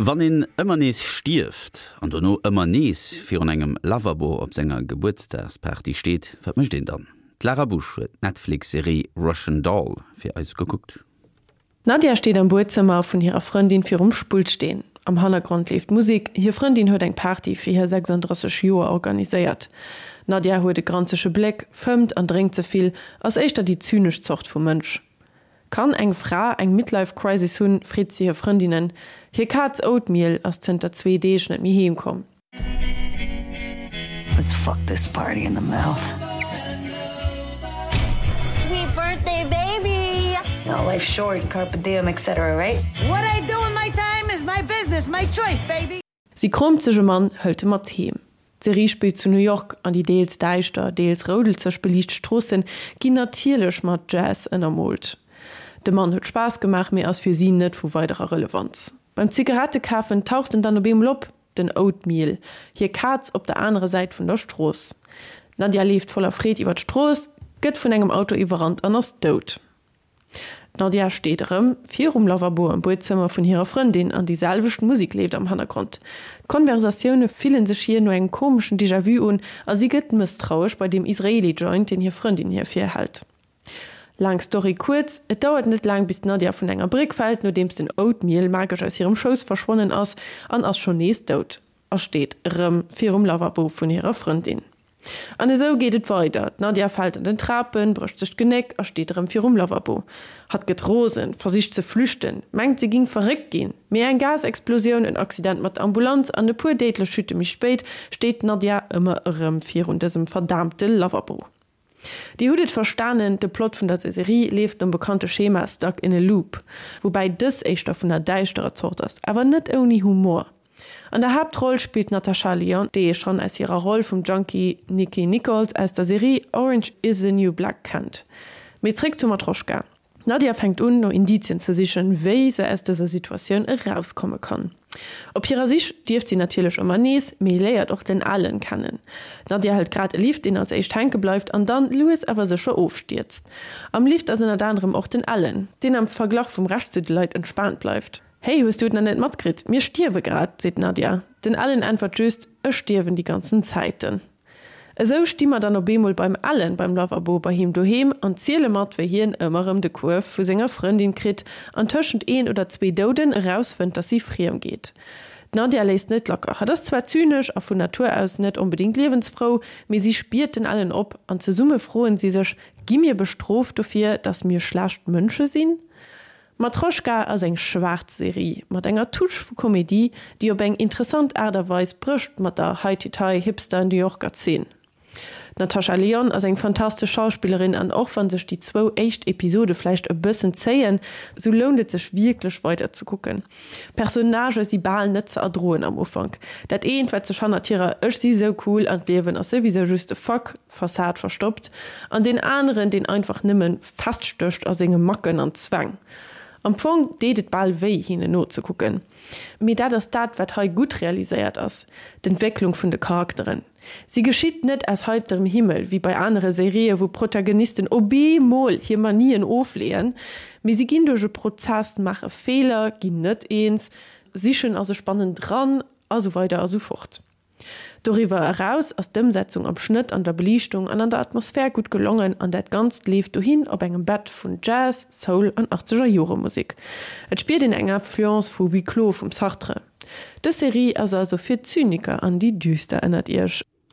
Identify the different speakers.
Speaker 1: Wann een ëmmer nees stierft an dono ëmmer nees virun engem Lavabo op senger Gebuertsdagsparty steet, wat mécht een dann? D'Lara Busch huet d'Netflix-Serie Russian Doll fir eis gekuckt.
Speaker 2: D'Nadia steet am Buedzëmmer vun hirer Frëndin virum Spullsteen. Am Hannergrond leeft Musek, hir Frëndin huet eng Party fir hir 36 Joer organiséiert. D'Nadia huet e granzege Bléck, fëmmt an drénkt ze vill, ass éischter déi zynesch Zort vu Mënsch. Kann eng Fra eng Midlife Crisis hunn, freet si hir Frëndinnen. Hir Kaz Oatmeal ass zënter zwee Deeg net méi heem komm.
Speaker 3: Let's fuck this party in the mouth.
Speaker 4: Sweet birthday baby!
Speaker 3: You know, life's short, carpe diem, etc. Right?
Speaker 5: What I do with my time is my business, my choice, baby!
Speaker 2: Si kroomt sech e Mann, hëlt e mat heem. D'Serie spillt zu New York an déi deels däischter, deels roudelzeg beliicht Stroossen ginn natierlech mat Jazz ënnermoolt. De Mann huet Spaass gemaach, mee ass fir si net vu weiderer Relevanz. Beim Zigarette kafen taucht en dann op eemol op, den Oatmeal, hir Kaz op der anerer Säit vun der Strooss. D'Nadia leeft voller Freed iwwer d'Strooss, gëtt vun engem Auto iwwerrannt an ass dout. D'Nadia steet erëm virum Lavabo am Buedzëmmer vun hirer Frëndin an déi selwecht Musek leeft am Hannergrond. D'Konversatioune fillen sech hir no engem komeschen Déjà-vu un a si gëtt mësstrauesch bei deem Israeli-Joint, deen hir Frëndin hir virhält. Laang Story kuerz, et dauert net laang bis d'Nadia vun enger Bréck fält, nodeems den Oatmeal magesch aus hirem Schouss verschwonnen ass an ass schonn nees dout a steet erëm virum Lavabo vun hirer Frëndin. An esou geet et weider, D'Nadia fält an den Trapen, brécht sech d'Genéck a steet erëm virum Lavabo. Hatt gëtt rosen, versicht ze flüchten, mengt si ging verréckt ginn. Mee eng Gasexplosioun, en Accident mat der Ambulanz an e puer déidlech Chute méi spéit steet d'Nadia ëmmer erëm virun dësem verdaamte Lavabo. Dir hutt et verstanen, de Plot vun der Serie leeft nom bekannte Schema stuck in a loop, woubäi dës éischter vun der däischterer Zort ass, awer net ouni Humor. An der Haaptroll spillt d'Natasha Lyonne, déi ee schonn aus hirer Roll vum Junkie Nicky Nichols aus der Serie Orange is the New Black kennt. Mee zréck zu Matroschka. D'Nadia fänkt un, no Indizien ze sichen, wéi se aus dëser Situatioun erauskomme kann. Op hirer Sich stierft si natierlech ëmmer nees, mee léiert och den Alan kennen. D'Nadia hëlt grad e Lift, deen als éischt hänke bleift an dann lues awer sécher ofstierzt. Am Lift ass ënnert anerem och den Alan, deen am Verglach vum Rescht zu de Leit entspaant bleift. Hey, hues du et nach net matkritt? Mir stierwe grad, seet d'Nadia. Den Alan äntwert just, Ech stierwen déi ganzen Zäiten. Esou sti mer dann op eemol beim Alan beim Lavabo bei him doheem an ziele mat, wéi hien ëmmer erëm de Kuerf vu senger Frëndin kritt an tëschent een oder zwee Douden erausfënnt, dass si friem geet. D'Nadia léisst net lacker. Hatt ass zwar zynesch a vun Natur aus net onbedéngt liewensfrou, mee si spiert den Alan op an zesumme froen si sech, Gi mir bestrooft dofir, dass mir schlecht Mënsche sinn? Matroschka ass eng schwaarz Serie mat enger Touche vu Komedie, déi op eng interessant Aart a Weis brécht mat der Heititai Hipster New Yorker Zeen. D'Natasha Lyonne ass eng fantastesch Schauspillerin an och wann sech déi zwou éischt Episode vläicht e bëssen zéien, sou lount et sech wierklech weider ze kucken. D'Personnagë si bal net ze erdroen am Ufank. Dat eent wat sech hannert hirer Ech si sou cool an d'Liewen ass souwisou just e Fuck Fassad verstoppt, an deen aneren, deen einfach nëmme feststécht a senge Macken an Zwäng. Am Fong deet et bal wéi, hinnen nozekucken. Mee dat ass dat, wat hei gutt realiséiert ass, d'Entwécklung vun de Charakteren. Si geschitt net aus heiterem Himmel, wéi bei anere Serië wou Protagonisten op eemol hir Manien ofleeën, mee si ginn duerch e Prozess, maache Feeler, ginn net eens, sichen a sech bannendran, a sou weider a sou fort. Doriwwer eraus ass d'Ëmsetzung am Schnëtt, an der Beliichtung an an der Atmosphär gutt gelongen an dat Ganzt leeft dohin op engem Bett vun Jazz, Soul an achtzeger Jore Musek. Et spiert een eng Influence vu Huis Clos vum Sartre. Dës Serie ass also fir d'Zyniker an déi Düster ënnert iech.